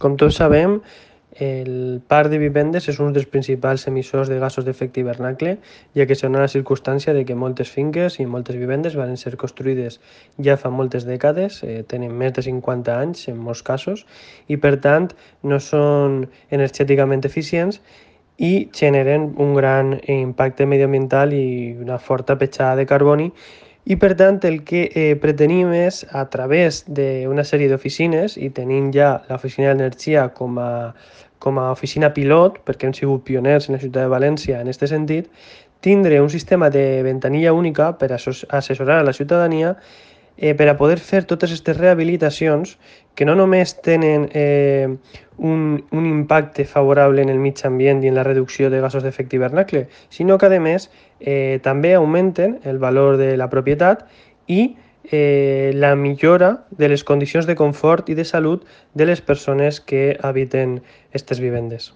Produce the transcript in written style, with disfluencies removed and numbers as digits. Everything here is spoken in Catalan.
Com tots sabem, el parc de vivendes és un dels principals emissors de gasos d'efecte hivernacle, ja que són a la circumstància de que moltes finques i moltes vivendes van ser construïdes ja fa moltes dècades, tenen més de 50 anys en molts casos, i per tant no són energèticament eficients i generen un gran impacte mediambiental i una forta petjada de carboni. I per tant el que pretenim és, a través d'una sèrie d'oficines, i tenint ja l'Oficina d'Energia com a oficina pilot, perquè hem sigut pioners en la ciutat de València en aquest sentit, tindre un sistema de ventanilla única per assessorar a la ciutadania per a poder fer totes aquestes rehabilitacions que no només tenen un impacte favorable en el mig ambient i en la reducció de gasos d'efecte hivernacle, sinó que, a més, també augmenten el valor de la propietat i la millora de les condicions de confort i de salut de les persones que habiten aquestes vivendes.